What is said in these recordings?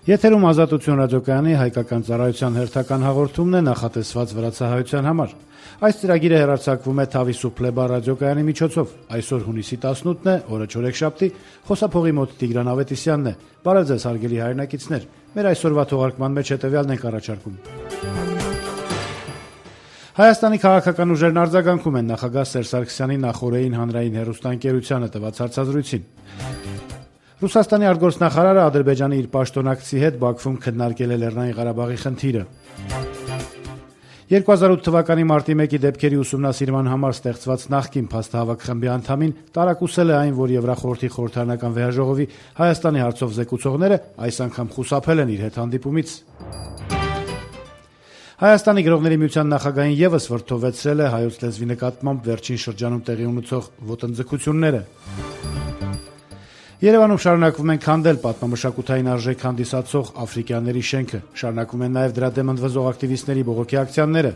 Եթերում Ազատություն ռադիոկայանի հայկական ծառայության հերթական հաղորդումն է նախատեսված վրացահայության համար։ Այս ծրագիրը հեռարձակվում է Թավիսուփլեբա ռադիոկայանի միջոցով։ Այսօր հունիսի 18-ն է, օրը չորեքշաբթի, խոսափողի մոտ Տիգրան Ավետիսյանն է։ Բարև ձեզ հարգելի հայրենակիցներ։ Մեր այսօրվա թողարկման մեջ հետևյալն ենք առաջարկում։ Հայաստանի քաղաքական ուժերն արձագանքում են նախագահ Սերժ Սարգսյանի նախօրեին հանրային հեռուստաընկերությանը տված հարցազրույցին։ Ռուսաստանի արտգործնախարարը Ադրբեջանի իր պաշտոնակցի հետ Բաքվում քննարկել է Լեռնային Ղարաբաղի խնդիրը։ 2008 թվականի մարտի 1-ի դեպքերի ուսումնասիրման համար ստեղծված նախկին փաստահավաք խմբի անդամին տարակուսել է այն, որ Եվրախորհրդի խորհրդարանական վեհաժողովի Հայաստանի հարցով զեկուցողները այս անգամ խուսափել են իր հետ հանդիպումից։ Հայաստանի գրողների միության նախագահին եւս վրդովեցրել է հայոց լեզվի նկատմամբ վերջին շրջանում տեղի ունեցող ոտնձգությունները։ Երևանում շարունակվում են քանդել պատմամշակութային արժեք հանդիսացող Աֆրիկյանների շենքը, շարունակվում են նաև դրա դեմ ընդվզող ակտիվիստների բողոքի ակցիաները։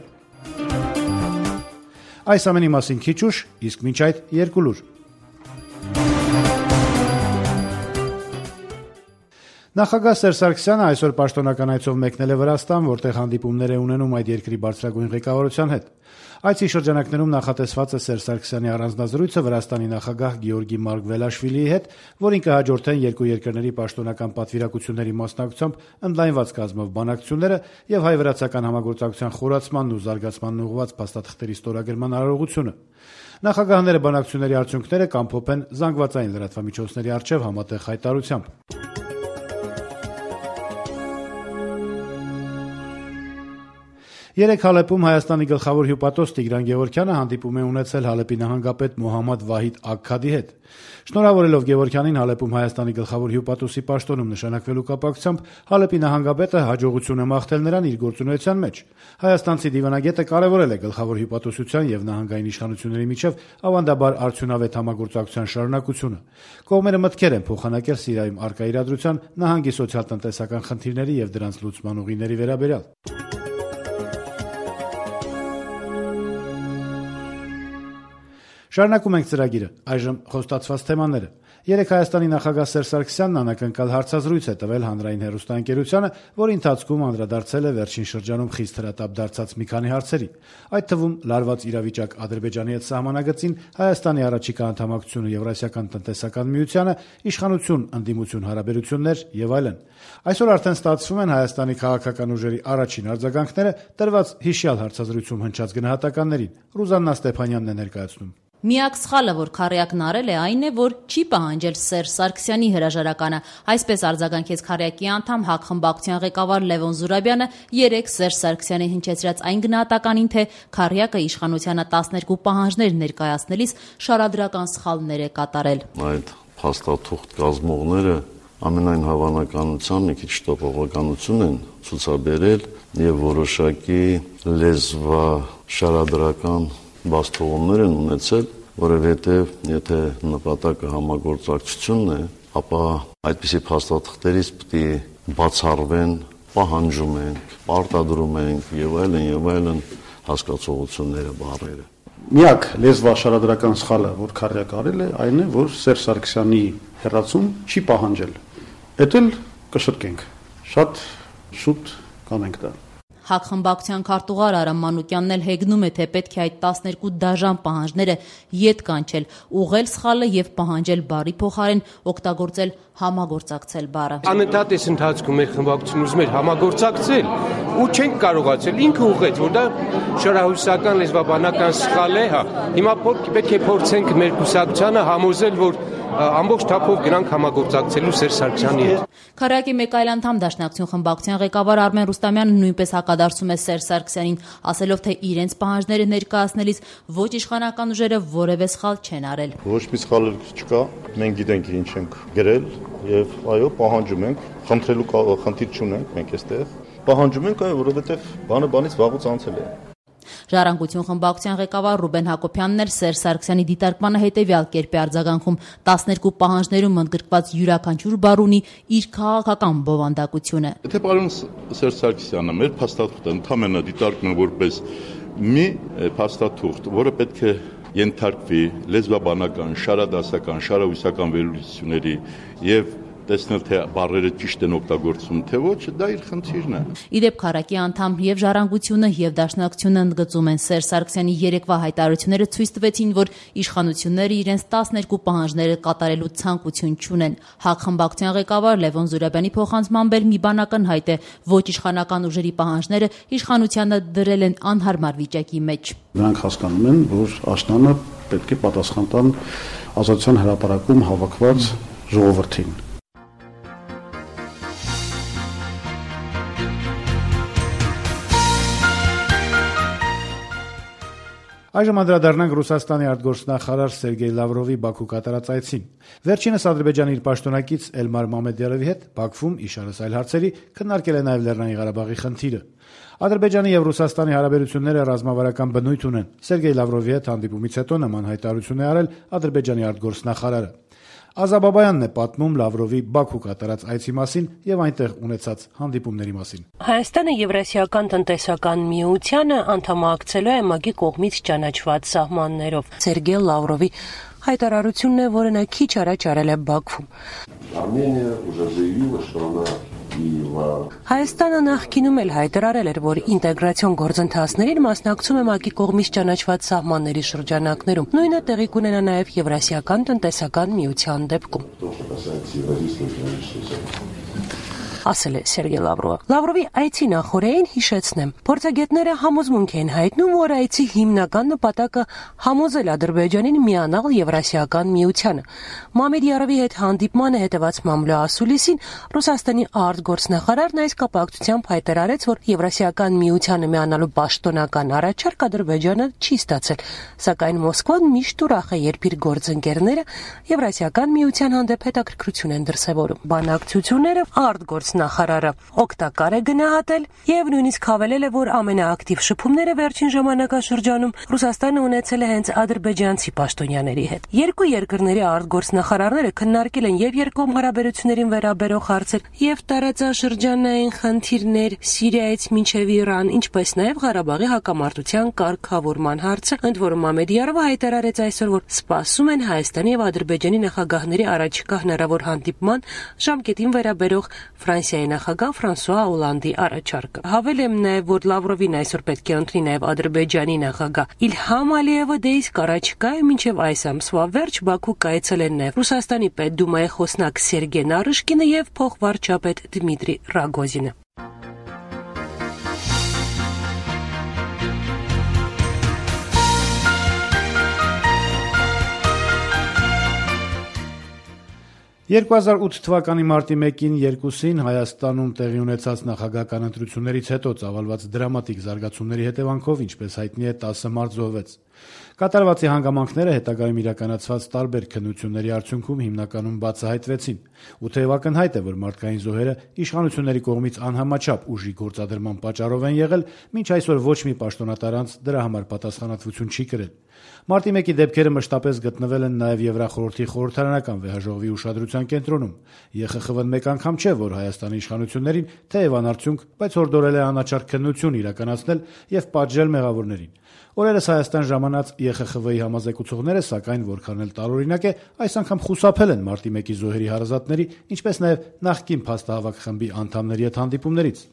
Այս ամենի մասին քիչ ուշ, իսկ մինչ այդ երկու լուր։ Նախագահ Սերժ Սարգսյանը այսօր պաշտոնական այցով մեկնել է Վրաստան, որտեղ հանդիպումներ է ունենում այդ երկրի բարձրագույն ղեկավարության հետ։ Այցի շրջանակներում նախատեսված է Սերժ Սարգսյանի առանձնազրույցը Վրաստանի նախագահ Գեորգի Մարգվելաշվիլիի հետ, որին կհաջորդեն երկու երկրների պաշտոնական պատվիրակությունների մասնակցությամբ ընդլայնված կազմով բանակցությունները եւ հայ-վրացական համագործակցության խորացմանն ու զարգացմանն ուղղված փաստաթղթերի ստորագրման արարողությունը։ Նախագահները բանակցությունների արդյունքները կամփոփեն զանգվածային լրատվամիջոցների առջև համատեղ հայտարարությամբ։ Երեկ Հալեպում Հայաստանի գլխավոր հյուպատոս Տիգրան Գևորգյանը հանդիպում է ունեցել Հալեպի նահանգապետ Մոհամմադ Վահիդ Աքքադի հետ։ Շնորհավորելով Գևորգյանին Հալեպում Հայաստանի գլխավոր հյուպատոսի պաշտոնում նշանակվելու կապակցությամբ Հալեպի նահանգապետը հաջողություն է մաղթել նրան իր գործունեության մեջ։ Հայաստանցի դիվանագետը կարևորել է գլխավոր հյուպատոսության եւ նահանգային իշխանությունների միջև ավանդաբար արդյունավետ համագործակցության շարունակությունը։ Կողմերը մտքեր են փոխանակել Սիրիայում առկա իրադրության, նահանգի սոցիալ-տնտեսական խնդիրների եւ դրանց լուծման ուղիների վերաբերյալ։ Շարունակում ենք ծրագիրը, այժմ խոստացված թեմաները։ Երեկ Հայաստանի նախագահ Սերժ Սարգսյանն անակնկալ հարցազրույց է տվել հանրային հեռուստաընկերությանը, որի ընթացքում անդրադարձել է վերջին շրջանում խիստ հրատապ դարձած մի քանի հարցերի, այդ թվում լարված իրավիճակ Ադրբեջանի հետ սահմանագծին, Հայաստանի առաջիկա անդամակցությունը Եվրասիական տնտեսական միությանը, իշխանություն ընդդիմություն հարաբերություններ եւ այլն։ Այսօր արդեն ստացվում են Հայաստանի քաղաքական ուժերի առաջին արձագանքները տրված հիշյալ հարցազրույցում հնչած գնահատականներին։ Ռուզաննա Ստեփանյանն է ներկայացնում։ Միակ սխալը, որ Քարյակն արել է, այն է, որ չի պահանջել Սերժ Սարգսյանի հրաժարականը։ Այսպես արձագանքեց Քարյակի անդամ ՀԱԿ խմբակցության ղեկավար Լևոն Զուրաբյանը երեկ Սերժ Սարգսյանի հնչեցրած այն գնահատականին, թե Քարյակը իշխանությանը 12 պահանջներ ներկայացնելիս շարադրական սխալներ է կատարել։ Այդ փաստաթուղթ կազմողները ամենայն հավանականությամբ մի քիչ տոպողականություն են ցուցաբերել եւ որոշակի լեզվաշարադրական բաստողումներ են ունեցել, որովհետև եթե նպատակը համագործակցությունն է, ապա այդպիսի փաստաթղթերից պետք է բացառվեն, պահանջում ենք, պարտադրում ենք եւ այլն հասկացողությունները, բառերը։ Միակ լեզվաշարադրական սխալը, որ Քարյակը արել է, այն է, որ Սերժ Սարգսյանի հեռացում չի պահանջել։ Էդ էլ կշտկենք։ Շատ շուտ կանենք դա։ ՀԱԿ խմբակցության քարտուղար Արամ Մանուկյանն էլ հեգնում է, թե պետք է այդ 12 դաժան պահանջները ետ կանչել, ուղղել սխալը եւ պահանջել բարի փոխարեն օգտագործել համագործակցել բառը։ Անընդհատ այս ընթացքում մեր խմբակցությունն ուզում էր համագործակցել ու չենք կարողացել։ Ինքը ուղղեց, որ դա շարահյուսական լեզվաբանական սխալ է, հա։ Հիմա պետք է փորձենք մեր կուսակցությանը համոզել, որ ամբողջ թափով գնանք համագործակցելու Սերժ Սարգսյանի հետ։ Քարյակի մեկ այլ անդամ Դաշնակցություն խմբակցության ղեկավար Արմեն Ռուստամյանը նույնպես հակադարձում է Սերժ Սարգսյանին, ասելով, թե իրենց պահանջները ներկայացնելիս ոչ իշխանական ուժերը որևէ սխալ չեն արել։ Ոչ մի սխալ չկա, մենք գիտենք ինչ ենք գրել եւ այո, պահանջում ենք, խնդրելու խնդիր չունենք մենք այստեղ։ Պահանջում ենք, այո, որովհետեւ բանը բանից վաղուց անցել է։ Ժառանգություն խմբակցության ղեկավար Ռուբեն Հակոբյանն էլ Սերժ Սարգսյանի դիտարկմանը հետևյալ կերպ է արձագանքում. 12 պահանջներում ընդգրկված յուրաքանչյուր բառ ունի իր քաղաքական բովանդակությունը։ Եթե պարոն Սերժ Սարգսյանը մեր փաստաթուղթը ընդհանրապես դիտարկում է որպես մի փաստաթուղթ, որը պետք է ենթարկվի լեզվաբանական, շարադասական, շարահյուսական վերլուծությունների եւ տեսնել թե բառերը ճիշտ են օգտագործվում, թե ոչ, դա իր խնդիրն է։ Իդեպ քառակի անդամ եւ Ժառանգությունը եւ Դաշնակցությունը ընդգծում են Սերժ Սարգսյանի երեկվա հայտարարությունները ցույց տվեցին, որ իշխանությունները իրենց 12 պահանջները կատարելու ցանկություն չունեն։ ՀԱԿ խմբակցության ղեկավար Լևոն Զուրաբյանի փոխանցմամբ մի բան ակնհայտ է, ոչ իշխանական ուժերի պահանջները իշխանությանը դրել են անհարմար վիճակի մեջ։ Նրանք հասկանում են, որ աշնանը պետք է պատասխան տան Ազատության հրապարակում հավաքված ժողովրդին։ Այժմ անդրադառնանք Ռուսաստանի արտգործնախարար Սերգեյ Լավրովի Բաքու կատարած այցին։ Վերջինս Ադրբեջանի իր պաշտոնակից Էլմար Մամեդյարովի հետ Բաքվում իշարս այլ հարցերի քննարկել է նաև Լեռնային Ղարաբաղի խնդիրը։ Ադրբեջանի եւ Ռուսաստանի հարաբերությունները ռազմավարական բնույթ ունեն։ Սերգեյ Լավրովի հետ հանդիպումից հետո նման հայտարարություն է արել Ադրբեջանի արտգործնախարարը։ Ազաբաբայանն է պատմում Լավրովի Բաքու կատարած այցի մասին եւ այնտեղ ունեցած հանդիպումների մասին։ Հայաստանը Եվրասիական տնտեսական միությանը անդամակցելու է ՄԱԳ-ի կողմից ճանաչված սահմաններով։ Սերգեյ Լավրովի հայտարարությունն է, որը նա քիչ առաջ արել է Բաքվում։ Հայաստանը նախկինում էլ հայտարարել էր, որ ինտեգրացիոն գործընթացներին մասնակցում է ՄԱԿ-ի կողմից ճանաչված սահմանների շրջանակներում։ Նույնը տեղի կունենա նաև Եվրասիական տնտեսական միության դեպքում։ Ասել է Սերգեյ Լավրովը։ Լավրովի այցի նախօրեին հիշեցնեմ, փորձագետները համոզմունք են հայտնում, որ այցի հիմնական նպատակը համոզել Ադրբեջանին միանալ Եվրասիական միությանը։ Մամեդյարովի հետ հանդիպմանը հետևած մամլոասուլիսին Ռուսաստանի արտգործնախարարն այս կապակցությամբ հայտարարեց, որ Եվրասիական միությանը միանալու պաշտոնական առաջարկ Ադրբեջանը չի ստացել, սակայն Մոսկվան միշտ ուրախ է, երբ իր գործընկերները Եվրասիական միության հանդեպ հետաքրքրություն են դրսևորում։ Բանակցությունները արտգործնախարարը օգտակար է գնահատել եւ նույնիսկ հավելել է, որ ամենաակտիվ շփումները վերջին ժամանակաշրջանում Ռուսաստանը ունեցել է հենց ադրբեջանցի պաշտոնյաների հետ։ Երկու երկրների արտգործնախարարները քննարկել են եւ երկկողմ հարաբերություններին վերաբերող հարցեր եւ տարածաշրջանային խնդիրներ Սիրիայից մինչեւ Իրան, ինչպես նաեւ Ղարաբաղի հակամարտության կարգավորման հարցը, ընդ որում Մամեդյարովը հայտարարեց այսօր, որ սպասում են Հայաստանի եւ Ադրբեջանի նախագահների առաջիկա հնարավոր հանդիպման ժամկետին վերաբերող Ֆրանսիայի նախագահ Ֆրանսուଆ Օլանդի առաջարկը։ Հավելեմ նաև, որ Լավրովին այսօր պետք է ընտրի նաև Ադրբեջանի նախագահ Իլհամ Ալիևը, դե իսկ առաջիկայում մինչև այս ամսվա վերջ Բաքու կայցելեն նաև Ռուսաստանի պետդումայի խոսնակ Սերգեյ Նարիշկինը եւ փոխվարչապետ Դմիտրի Ռագոզինը։ «2008 թվականի մարտի 1-ին 2-ին Հայաստանում տեղի ունեցած նախագահական ընտրություններից հետո ծավալված դրամատիկ զարգացումների հետևանքով, ինչպես հայտնի է, 10 մարդ զոհվեց։ Կատարվածի հանգամանքները հետագայում իրականացված տարբեր քննությունների արդյունքում հիմնականում բացահայտվեցին։ Ու թեև ակնհայտ է, որ մարդկային զոհերը իշխանությունների կողմից անհամաչափ ուժի գործադրման պատճառով են եղել, մինչ այսօր ոչ մի պաշտոնատար անձ դրա համար պատասխանատվություն չի կրել։ Մարտի 1-ի դեպքերը մշտապես գտնվել են նաև Եվրախորհրդի խորհրդարանական վեհաժողովի ուշադրության կենտրոնում։ ԵԽԽՎ-ն մեկ անգամ չէ, որ Հայաստանի իշխանություններին թեև անարդյունք, բայց հորդորել է անաչառ քննություն իրականացնել եւ պատժել մեղավորներին։ Օրերս Հայաստան ժամանած ԵԽԽՎ-ի համազեկուցողները, սակայն, որքան էլ տարօրինակ է, այս անգամ խուսափել են մարտի 1-ի զոհերի հարազատների, ինչպես նաև նախկին փաստահավաք խմբի անդամների հետ հանդիպումներից։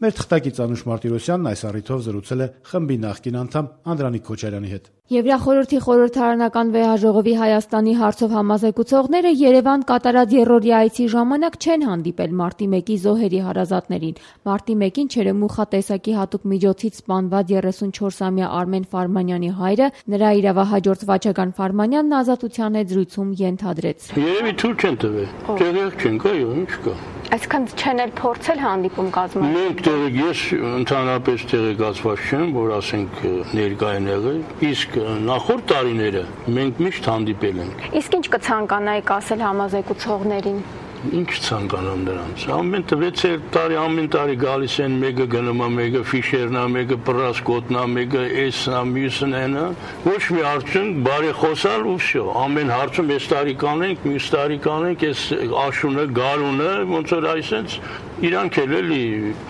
Մեր թղթակից Անուշ Մարտիրոսյանն այս առիթով զրուցել է խմբի նախկին անդամ Անդրանիկ Քոչարյանի հետ։ Եվրախորհրդի խորհրդարանական վեհաժողովի Հայաստանի հարցով համազեկուցողները Երևան կատարած երրորդի այցի ժամանակ չեն հանդիպել մարտի 1-ի զոհերի հարազատներին։ Մարտի 1-ին Չերեմուխա տեսակի հատուկ միջոցից սպանված 34-ամյա Արմեն Ֆարմանյանի հայրը, նրա իրավահաջորդ Վաչագան Ֆարմանյանն ազատության հետ զրույցում ենթադրեց։ Երևի թույլ չեն տվել։ Տեղյակ չենք, այո, ինչ կա։ Այսքան չեն էլ փորձել հանդիպում կազմել։ Մենք ես ընդհանրապես տեղեկացված չեմ, որ ասենք ներկա են եղել, իսկ նախորդ տարիները մենք միշտ հանդիպել ենք։ Իսկ ինչ կցանկանայիք ասել համազեկուցողներին։ Ինչ ցանկանամ նրանց։ Ամեն 6 տարի ամեն տարի գալիս են, մեկը գնում է, մեկը ֆիշերն է, մեկը պրասկոտն է, մեկը էսն է, մյուսն է, ոչ մի արդյունք, բարի խոսալ ու վсё։ Ամեն հարցում այս տարի կանենք, մյուս տարի կանենք, այս աշունը, գարունը, ոնց որ այսպես իրանք էլ էլի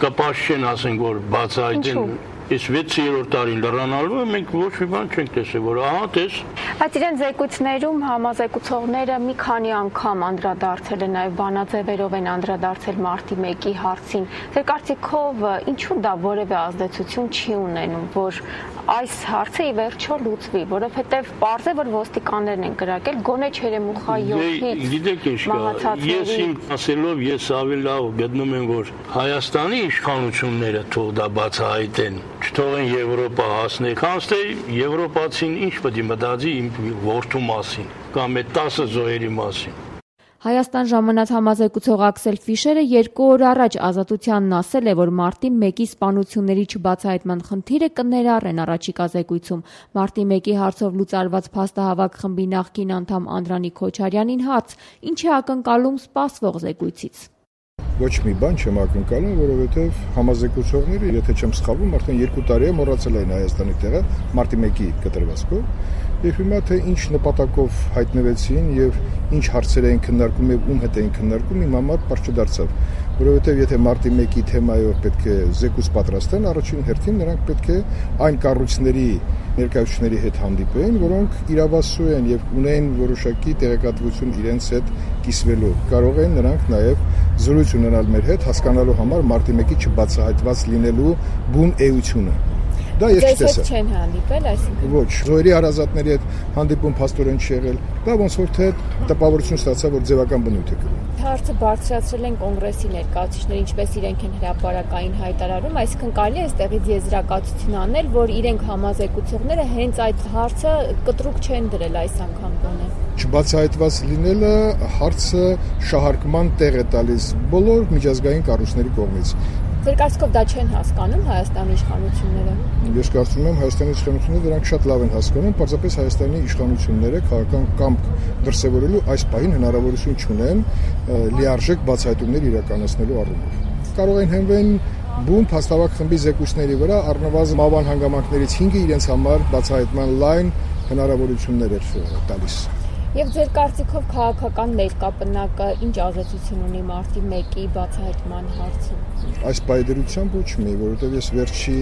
կպաշ չեն ասենք, որ բացահայտեն։ Այս 6-րդ տարին լրանալու մենք ոչ մի բան չենք տեսել, որ ահա տես։ Բայց իրեն զեկույցներում համազեկուցողները մի քանի անգամ անդրադարձել են, նաև բանաձևերով են անդրադարձել մարտի 1-ի հարցին։ Ձեր կարծիքով ինչու դա որևէ ազդեցություն չի ունենում, որ այս հարցը ի վերջո լուծվի, որովհետև պարզ է, որ ոստիկաններն են կրակել, գոնե Չերեմուխա 7-ից Գիտեք ինչ կա, ես իմ ասելով ես ավելի լավ գտնում եմ, որ Հայաստանի իշխանությունները թող դա բացահայտեն, չթողեն Եվրոպա հասնել, քանց թե եվրոպացին ինչ պետք է մտածի իմ որդու մասին կամ այդ 10 զոհերի մասին։ Հայաստան ժամանած համազեկուցող Աքսել Ֆիշերը 2 օր առաջ Ազատությանն ասել է, որ մարտի 1-ի սպանությունների չբացահայտման խնդիրը կներառեն առաջիկա զեկույցում։ Մարտի 1-ի հարցով լուծարված փաստահավաք խմբի նախկին անդամ Անդրանիկ Քոչարյանին հարց. ինչ է ակնկալում սպասվող զեկույցից։ Ոչ մի բան չեմ ակնկալում, որովհետև համազեկուցողները, եթե չեմ սխալվում, արդեն 2 տարի է մոռացել են Հայաստանի տեղը մարտի 1-ի կտրվածքով, եւ հիմա թե ինչ նպատակով հայտնվեցին եւ ինչ հարցեր էին քննարկում եւ ում հետ էին քննարկում, իմ համար պարզ չդարձավ, որովհետև եթե մարտի 1-ի թեմայով պետք է զեկույց պատրաստեն, առաջին հերթին նրանք պետք է այն կառույցների ներկայացուցիչների հետ հանդիպեն, որոնք իրավասու են եւ ունեն որոշակի տեղեկատվություն իրենց հետ կիսվելու։ Կարող են նրանք նաեւ զրույց ունենալ մեր հետ, հասկանալու համար մարտի 1-ի չբացահայտված լինելու բուն էությունը։ Դա ես չտեսա։ Չեն հանդիպել, այսինքն։ Ոչ, զոհերի հարազատների հետ հանդիպում փաստորեն չի եղել։ Դա ոնց որ թե տպավորություն ստացա, որ ձևական բնույթ է կրում։ Հարցը բարձրացրել են կոնգրեսի ներկայացուցիչները, ինչպես իրենք են հրապարակային հայտարարում, այսինքն կարելի է այստեղից եզրակացություն անել, որ իրենք համազեկուցողները հենց այդ հարցը կտրուկ չեն դրել այս անգամ գոնե։ Չբացահայտված լինելը հարցը շահարկման տեղ է տալիս բոլոր միջազգային կառույցների կողմից։ Ձեր կարծիքով դա չեն հասկանում Հայաստանի իշխանությունները։ Ես կարծում եմ Հայաստանի իշխանությունները դրանք շատ լավ են հասկանում, պարզապես Հայաստանի իշխանությունները քաղաքական կամք դրսևորելու այս պահին հնարավորություն չունեն լիարժեք բացահայտումներ իրականացնելու առումով։ Կարող են հենվեն բուն փաստավակ խմբի զեկույցների վրա, առնվազն մավան հանգամանքներից 5-ը իրենց համար բացահայտման լայն հնարավորություններ էր տալիս։ Եվ ձեր կարծիքով քաղաքական ներկապնակը ինչ ազդեցություն ունի մարտի 1-ի բացահայտման հարցում։ Այս պայդրությամբ ոչ մի, որովհետև ես վերջի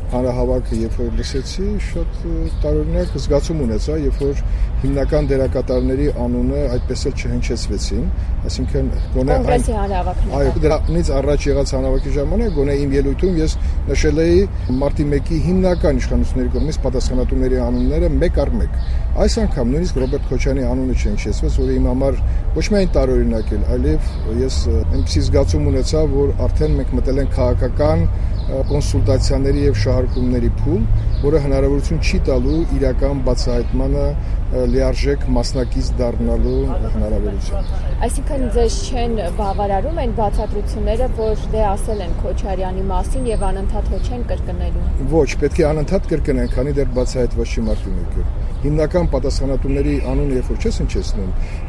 հանրահավաքը երբ որ լսեցի, շատ տարօրինակ զգացում ունեցա, երբ որ հիմնական դերակատարների անունը այդպես էլ չհնչեցվեցին, այսինքն գոնե կոնգրեսի հանրահավաքն։ Այո, դրանից առաջ եղած հանրահավաքի ժամանակ գոնե իմ ելույթում ես նշել էի մարտի 1-ի հիմնական իշխանությունների կողմից պատասխանատուների անունները մեկ առ մեկ։ Այս անգամ նույնիսկ Ռոբերտ Քոչարյանի անունը չհնչեցվեց, որը իմ համար ոչ միայն տարօրինակ էր, այլև ես այնպիսի զգացում ունեցա, որ արդեն մենք մտել ենք քաղաքական կոնսուլտացիաների եւ շահարկումների փուլ, որը հնարավորություն չի տալու իրական բացահայտմանը լիարժեք մասնակից դառնալու հնարավորություն։ Այսինքն ձեզ չեն բավարարում այն բացատրությունները, որ դե ասել են Քոչարյանի մասին եւ անընդհատ ոչ են կրկնելու։ Ոչ, պետք է անընդհատ կրկնեն, քանի դեռ բացահայտված չի մարտի 1-ը։ Հիմնական պատասխանատուների անունը երբ որ չես հնչեցնում,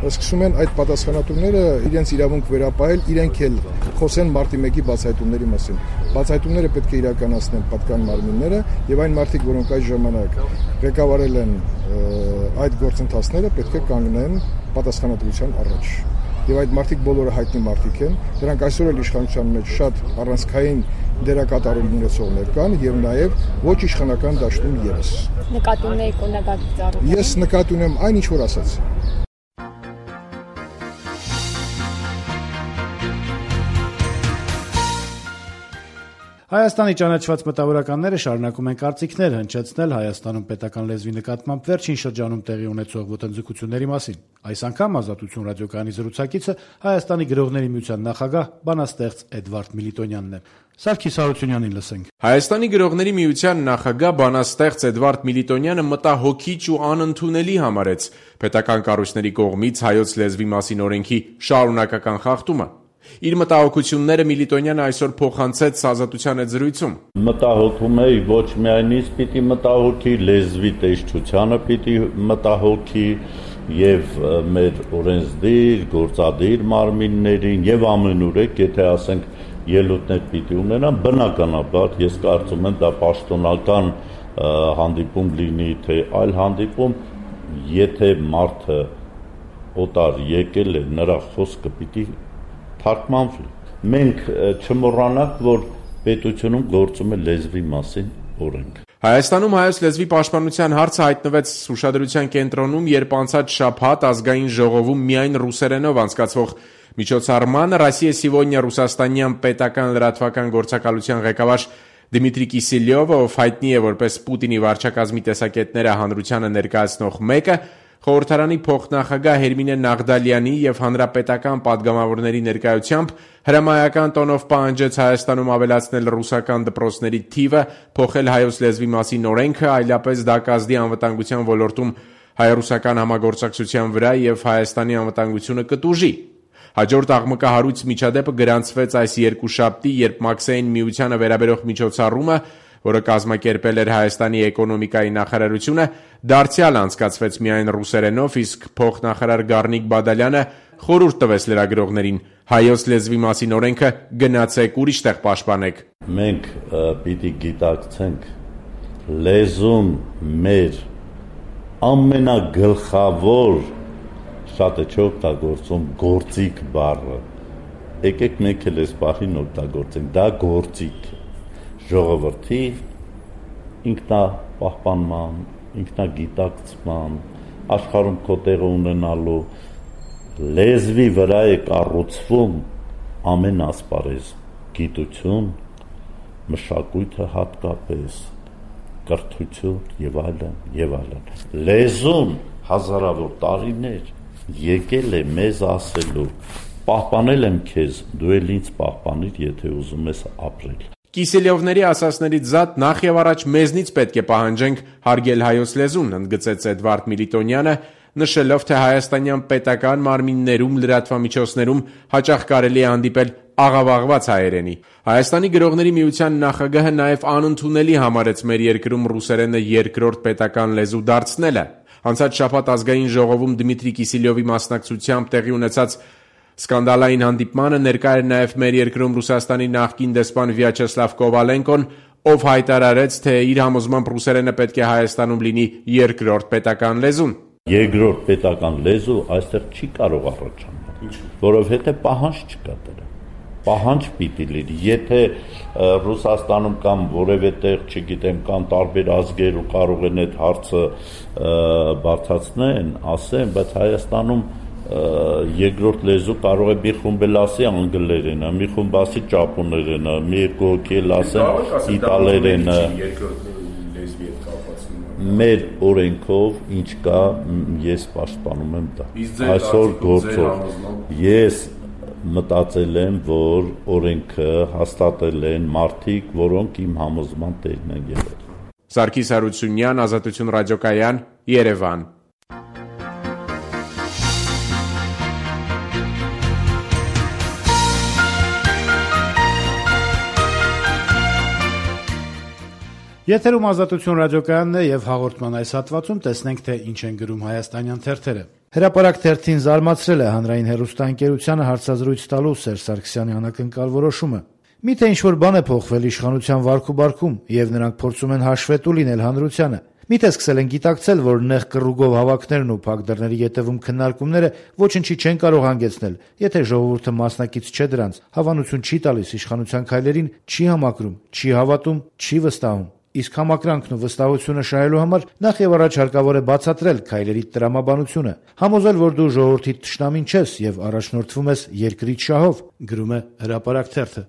սկսում են այդ պատասխանատուները իրենց իրավունք վերապահել, իրենք էլ խոսեն մարտի 1-ի բացահայտումների մասին։ Բացահայտումները պետք է իրականացնեն պատկան մարմինները եւ այն մարդիկ, որոնք այդ ժամանակ ղեկավարել են այդ գործընթացները, պետք է կանգնեն պատասխանատվության առաջ։ Եվ այդ մարդիկ բոլորը հայտնի մարդիկ են, դրանք այսօր էլ իշխանության մեջ շատ առանցքային դերակատարում ունեցողներ կան եւ նաեւ ոչ իշխանական դաշտում եւս։ Նկատի ունեք օրինագծի ծառայություն։ Ես նկատի ունեմ այն, ինչ որ ասաց։ Հայաստանի ճանաչված մտավորականները շարունակում են կարծիքներ հնչեցնել Հայաստանում պետական լեզվի նկատմամբ վերջին շրջանում տեղի ունեցող ոտնձգությունների մասին։ Այս անգամ Ազատություն ռադիոկայանի զրուցակիցը Հայաստանի գրողների միության նախագահ բանաստեղծ Էդվարդ Միլիտոնյանն է։ Սարգիս Հարությունյանին լսենք։ Հայաստանի գրողների միության նախագահ բանաստեղծ Էդվարդ Միլիտոնյանը մտահոգիչ ու անընդունելի համարեց պետական կառույցների կողմից հայոց լեզվի մասին օրենքի շարունակական խախտումը։ Իր մտահոգությունները Միլիտոնյանը այսօր փոխանցեց Ազատության հետ զրույցում։ Մտահոգում էի ոչ միայն ինձ պիտի մտահոգի, լեզվի տեսչությանը պիտի մտահոգի եւ մեր օրենսդիր, գործադիր մարմիններին եւ ամենուրեք, եթե ասենք ելույթներ պիտի ունենան, բնականաբար ես կարծում եմ դա պաշտոնական հանդիպում լինի, թե այլ հանդիպում, եթե մարդը օտար եկել է, նրա խոսքը պիտի թարգմանվի։ Մենք չմոռանանք, որ պետությունում գործում է լեզվի մասին օրենք։ Հայաստանում հայոց լեզվի պաշտպանության հարցը հայտնվեց ուշադրության կենտրոնում, երբ անցած շաբաթ ազգային ժողովում միայն ռուսերենով անցկացվող միջոցառմանը «Ռոսիա Սիվոնյա» ռուսաստանյան պետական լրատվական գործակալության ղեկավար Դմիտրի Կիսելյովը, ով հայտնի է որպես Պուտինի վարչակազմի տեսակետները հանրությանը ներկայացնող մեկը, խորհրդարանի փոխնախագահ Հերմինե Նաղդալյանի եւ հանրապետական падգամավորների ներկայությամբ հրամայական տոնով պահանջեց Հայաստանում ավելացնել ռուսական դպրոցների թիվը, փոխել հայոց լեզվի մասին օրենքը, այլապես դա կազդի անվտանգության ոլորտում հայ-ռուսական համագործակցության վրա եւ Հայաստանի անվտանգությունը կտուժի։ Հաջորդ աղմկահարույց միջադեպը գրանցվեց այս երկուշաբթի, երբ Մաքսային միությանը վերաբերող միջոցառումը, որը կազմակերպել էր Հայաստանի էկոնոմիկայի նախարարությունը, դարձյալ անցկացվեց միայն ռուսերենով, իսկ փոխնախարար Գառնիկ Բադալյանը խորհուրդ տվեց լրագրողներին. հայոց լեզվի մասին օրենքը գնացեք ուրիշ տեղ պաշտպանեք։ Մենք պիտի գիտակցենք լեզուն մեր ամենագլխավոր շատ է չօգտագործում գործիք բառը։ Եկեք մենք էլ այս բառին օգտագործենք, դա գործիք է։ Ժողովրդի ինքնապահպանման, ինքնագիտակցման, աշխարհում քո տեղը ունենալու լեզվի վրա է կառուցվում ամեն ասպարեզ, գիտություն, մշակույթը հատկապես, կրթություն եւ այլն եւ այլն։ Լեզուն հազարավոր տարիներ եկել է մեզ ասելու. պահպանել եմ քեզ, դու էլ ինձ պահպանիր, եթե ուզում ես ապրել։ Կիսելյովների ասասներից զատ նախ եւ առաջ մեզնից պետք է պահանջենք հարգել հայոց լեզուն, ընդգծեց Էդվարդ Միլիտոնյանը, նշելով, թե հայաստանյան պետական մարմիններում լրատվամիջոցներում հաճախ կարելի է հանդիպել աղավաղված հայերենի։ Հայաստանի գրողների միության նախագահը նաև անընդունելի համարեց մեր երկրում ռուսերենը երկրորդ պետական լեզու դարձնելը։ Անցած շաբաթ ազգային ժողովում Դմիտրի Կիսելյովի մասնակցությամբ տեղի ունեցած սկանդալային հանդիպմանը ներկա էր նաև մեր երկրում Ռուսաստանի նախկին դեսպան Վյաչեսլավ Կովալենկոն, ով հայտարարեց, թե իր համոզմամբ ռուսերենը պետք է Հայաստանում լինի երկրորդ պետական լեզուն։ Երկրորդ պետական լեզու այստեղ չի կարող առաջանալ, որովհետև պահանջ չկա դրա։ Պահանջ պիտի լինի, եթե Ռուսաստանում կամ որևէ տեղ, չգիտեմ, կան տարբեր ազգեր ու կարող են այդ հարցը բարձրացնեն, ասեն, բայց Հայաստանում երկրորդ լեզու կարող է մի խումբ էլ ասի անգլերենը, մի խումբ ասի ճապոներենը, մի երկու հոգի էլ ասեն իտալերենը։ Մեր օրենքով ինչ կա, ես պաշտպանում եմ դա։ Այսօր գործով ես մտածել եմ, որ օրենքը հաստատել են մարդիկ, որոնք իմ համոզման տերն են եղել։ Սարգիս Հարությունյան, Ազատություն ռադիոկայան, Երևան։ Եթերում Ազատություն ռադիոկայանն է եւ հաղորդման այս հատվածում տեսնենք, թե ինչ են գրում հայաստանյան թերթերը։ Հրապարակ թերթին զարմացրել է հանրային հեռուստաընկերությանը հարցազրույց տալու Սերժ Սարգսյանի անակնկալ որոշումը։ Միթե ինչ-որ բան է փոխվել իշխանության վարքուբարքում եւ նրանք փորձում են հաշվետու լինել հանրությանը։ Միթե սկսել են գիտակցել, որ նեղ կռուգով հավաքներն ու փակ դռների ետևում քննարկումները ոչնչի չեն կարող հանգեցնել, եթե ժողովուրդը մասնակից չէ դրանց, հավանություն չի տալիս իշխանության քայլերին, չի համակրում, չի հավատում, չի վստահում։ Իսկ համակրանքն ու վստահությունը շահելու համար նախ եւ առաջ հարկավոր է բացատրել քայլերի տրամաբանությունը, համոզել, որ դու ժողովրդի թշնամին չես եւ առաջնորդվում ես երկրի շահով, գրում է Հրապարակ թերթը։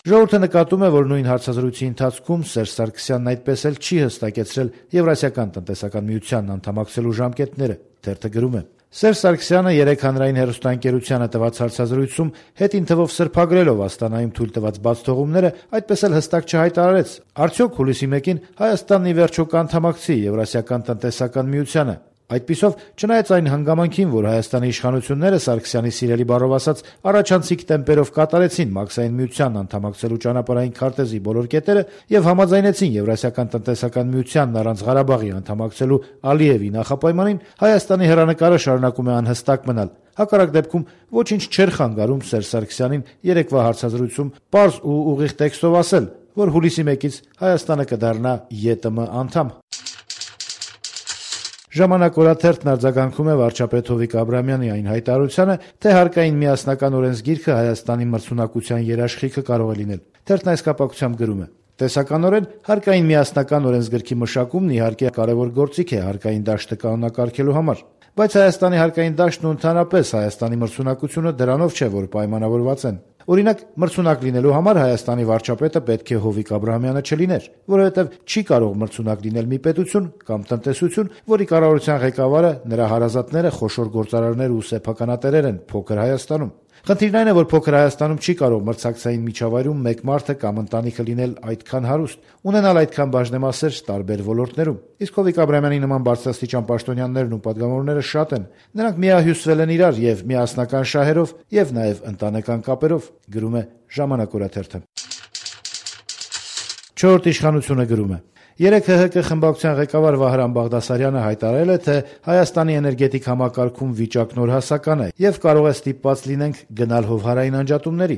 Ժողովուրդը նկատում է, որ նույն հարցազրույցի ընթացքում Սերժ Սարգսյանն այդպես էլ չի հստակեցրել Եվրասիական տնտեսական միությանն անդամակցելու ժամկետները։ Թերթը գրում է. Սերժ Սարգսյանը երեկ հանրային հեռուստաընկերությանը տված հարցազրույցում հետին թվով սրբագրելով Աստանայում թույլ տված բացթողումները այդպես էլ հստակ չհայտարարեց, արդյոք հուլիսի 1-ին Հայաստանն ի վերջո կանդամակցի Եվրասիական տնտեսական միությանը։ Այդպիսով, չնայած այն հանգամանքին, որ Հայաստանի իշխանությունները Սարգսյանի սիրելի բառով ասած առաջանցիկ տեմպերով կատարեցին Մաքսային միությանն անդամակցելու ճանապարհային քարտեզի բոլոր կետերը եւ համաձայնեցին Եվրասիական տնտեսական միությանն առանց Ղարաբաղի անդամակցելու Ալիևի նախապայմանին, Հայաստանի հեռանկարը շարունակում է անհստակ մնալ։ Հակառակ դեպքում ոչինչ չէր խանգարում Սերժ Սարգսյանին երեկվա հարցազրույցում պարզ ու ուղիղ տեքստով ասել, որ հուլիսի 1-ից Հայաստանը կդառնա ԵՏՄ անդամ։ Ժամանակ օրաթերթն արձագանքում է վարչապետ Հովիկ Աբրամյանի այն հայտարարությանը, թե հարկային միասնական օրենսգիրքը Հայաստանի մրցունակության երաշխիքը կարող է լինել։ Թերթն այս կապակցությամբ գրում է. Տեսականորեն հարկային միասնական օրենսգրքի մշակումն իհարկե կարևոր գործիք է հարկային դաշտը կանոնակարգելու համար, բայց Հայաստանի հարկային դաշտն ու ընդհանրապես Հայաստանի մրցունակությունը դրանով չէ, որ պայմանավորված են։ Օրինակ, մրցունակ լինելու համար Հայաստանի վարչապետը պետք է Հովիկ Աբրահամյանը չլիներ, որովհետև չի կարող մրցունակ լինել մի պետություն կամ տնտեսություն, որի կառավարության ղեկավարը, նրա հարազատները խոշոր գործարարներ ու սեփականատերեր են փոքր Հայաստանում։ Խնդիրն այն է, որ փոքր Հայաստանում չի կարող մրցակցային միջավայրում մեկ մարդը կամ ընտանիքը լինել այդքան հարուստ, ունենալ այդքան բաժնեմասեր տարբեր ոլորտներում։ Իսկ Հովիկ Աբրահամյանի նման բարձրաստիճան պաշտոնյաներն ու պատգամավորները շատ են։ Նրանք միահյուսվել են իրար եւ միասնական շահերով եւ նաեւ ընտանեկան կապերով, գրում է Ժամանակ օրաթերթը։ 4 իշխանությունը գրում է. Երեկ ՀՀԿ խմբակցության ղեկավար Վահրամ Բաղդասարյանը հայտարարել է, թե Հայաստանի էներգետիկ համակարգում վիճակն օրհասական է եւ կարող է ստիպված լինենք գնալ հովհարային անջատումների։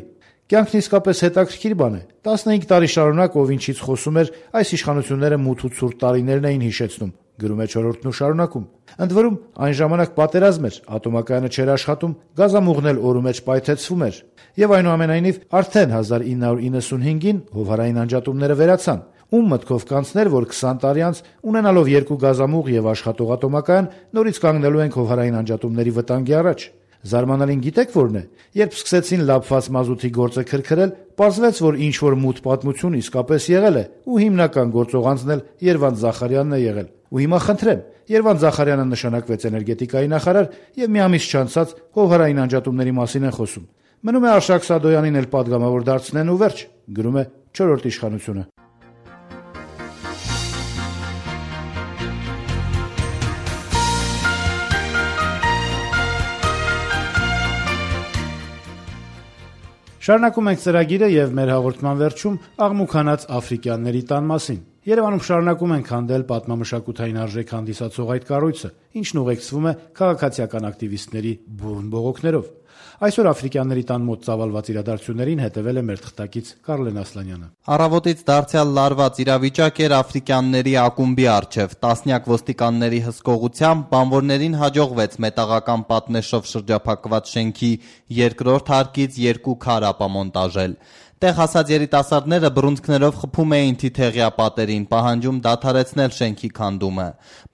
Կյանքն իսկապես հետաքրքիր բան է։ 15 տարի շարունակ ով ինչից խոսում էր, այս իշխանությունները մութ ու ցուրտ տարիներն էին հիշեցնում, գրում է 4-ն ու շարունակում։ Ընդ որում, այն ժամանակ պատերազմ էր, ատոմակայանը չէր աշխատում, գազամուղն էլ օրու մեջ պայթեցվում էր։ Եվ այնուամենայնիվ, արդեն 1995-ին հովհարային անջատումները վերացան։ Ում մտքով կանցներ, որ 20 տարի անց, ունենալով 2 գազամուղ եւ աշխատող ատոմակայան, նորից կանգնելու ենք հովհարային անջատումների վտանգի առաջ։ Զարմանալին գիտեք որն է, երբ սկսեցին լափված մազութի գործը քրքրել, պարզվեց, որ ինչ որ մութ պատմություն իսկապես եղել է, ու հիմնական գործող անձն էլ Երվանդ Զախարյանն է եղել։ Ու հիմա խնդրեմ, Երվանդ Զախարյանը նշանակվեց էներգետիկայի նախարար եւ մի ամիս չանցած հովհարային անջատումների մասին են խոսում։ Մնում է Արշակ Սադոյանին էլ պատգամավոր դարձնեն ու վերջ, գրում է 4-րդ իշխանությունը։ Շարունակում ենք ծրագիրը եւ մեր հաղորդման վերջում աղմուկանաց աֆրիկյանների տան մասին։ Երևանում շարունակում ենք հանդել պատմամշակութային արժեք հանդիսացող այդ կառույցը, ինչն ուղեկցվում է քաղաքացիական ակտիվիստների բուրըն բողոքներով։ Այսօր աֆրիկյանների տան մոտ ծավալված իրադարձություններին հետևել է մեր թղթակից Կարլեն Ասլանյանը։ Առավոտից դարձյալ լարված իրավիճակ էր աֆրիկյանների ակումբի առջև։ Տասնյակ ոստիկանների հսկողությամբ բանվորներին հաջողվեց մետաղական պատնեշով շրջափակված շենքի երկրորդ հարկից 2 քար ապամոնտաժել։ Տեղ հասած երիտասարդները բռունցքներով խփում էին թիթեղյա պատերին, պահանջում դադարեցնել շենքի քանդումը։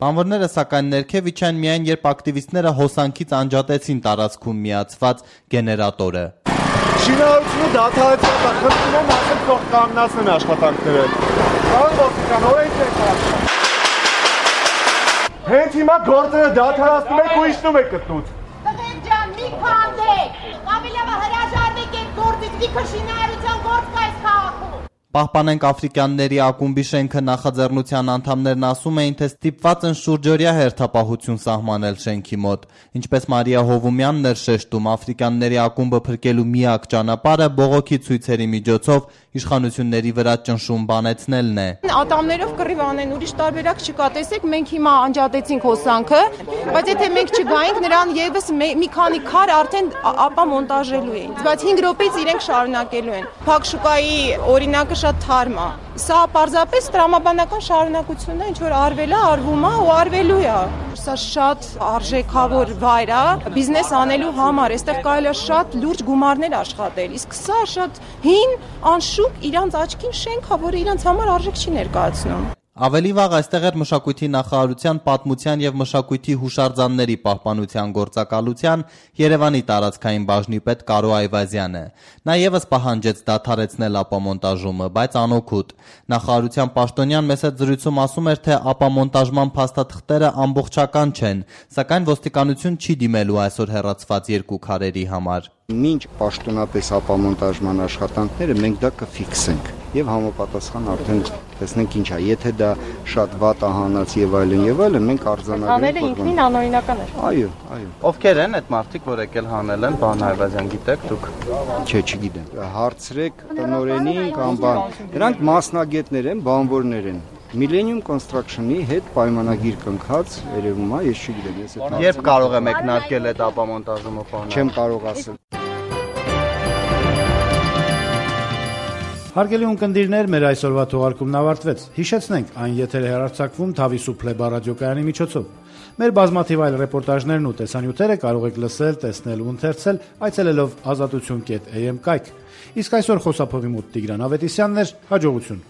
Բանվորները սակայն ներքև իջան միայն, երբ ակտիվիստները հոսանքից անջատեցին տարածքում միացված գեներատորը։ Շինարարությունը դադարեցված է, խնդրում եմ ասել թող կանգնացնեն աշխատանքները։ Պարոն ոստիկան, օրենք եք ասում։ Հենց հիմա գործերը դադարեցնում եք ու իջնում եք գտնուց։ Տղեն ջան, մի քանդեք։ Ավելավը հրաժարվեք այդ գործից, լիքը շինարարության գործ կա այս քաղաքում։ Պահպանենք աֆրիկյանների ակումբի շենքը նախաձեռնության անդամներն ասում էին, թե ստիպված են շուրջօրյա հերթապահություն սահմանել շենքի մոտ։ Ինչպես Մարիա Հովումյանն էր շեշտում, աֆրիկյանների ակումբը փրկելու միակ ճանապարհը բողոքի ցույցերի միջոցով իշխանությունների վրա ճնշում բանեցնելն է։ Ատամներով կռիվ անեն, ուրիշ տարբերակ չկա։ Տեսեք, մենք հիմա անջատեցինք հոսանքը, բայց եթե մենք չգայինք, նրան եւս մի քանի քար արդեն ապա մոնտաժելու էին։ Բայց 5 րոպեից իրենք շարունակելու են։ Փակ շուկայի օրինակը շատ թարմ է։ Սա պարզապես տրամաբանական շարունակությունն է, ինչ որ արվել է, արվում է ու արվելու է։ Սա շատ արժեքավոր վայր է բիզնես անելու համար, այստեղ կարելի է շատ լուրջ գումարներ աշխատել։ Իսկ սա շատ հին, անշուք իրանց աչքին շենք է, որը իրանց համար արժեք չի ներկայացնում։ Ավելի վաղ այստեղ էր մշակույթի նախարարության պատմության եւ մշակույթի հուշարձանների պահպանության գործակալության Երևանի տարածքային բաժնի պետ Կարո Այվազյանը։ Նա եւս պահանջեց դադարեցնել ապամոնտաժումը, բայց անօգուտ։ Նախարարության պաշտոնյան մեծ զրույցում ասում էր, թե ապամոնտաժման փաստաթղթերը ամբողջական չեն, սակայն ոստիկանություն չի դիմելու այսօր հեռացված 2 քարերի համար։ Մինչ պաշտոնապես ապամոնտաժման աշխատանքները մենք դա կֆիքսենք եւ համապատասխան արդեն տեսնենք ինչ է, եթե դա շատ վատ է հանած եւ այլն, մենք արձանագրենք։ Անելը ինքնին անօրինական է։ Այո։ Ովքեր են այդ մարդիկ, որ եկել հանել են, պարոն Այվազյան, գիտեք դուք։ Չէ, չգիտեմ։ Հարցրեք տնօրենին կամ բան։ Դրանք մասնագետներ են, բանվորներ են։ Millennium Construction-ի հետ պայմանագիր կնքած երևում է, ես չգիտեմ, ես այդ։ Երբ կարող է մեկնարկել այդ ապամոնտաժումը խոհանալ։ Չեմ կարող ասել։ Հարգելի ունկնդիրներ, մեր այսօրվա թողարկումն ավարտվեց։ Հիշեցնենք, այն եթեր է հեռարձակվում Թավիսու Փլեբա ռադիոկայանի միջոցով։ Մեր բազմաթիվ այլ ռեպորտաժներն ու տեսանյութերը կարող եք լսել, տեսնել ու ընթերցել այցելելով azatutun.am կայք։ Իսկ այսօր խոսափողի մոտ Տիգրան Ավետիսյանն էր, հաջողություն։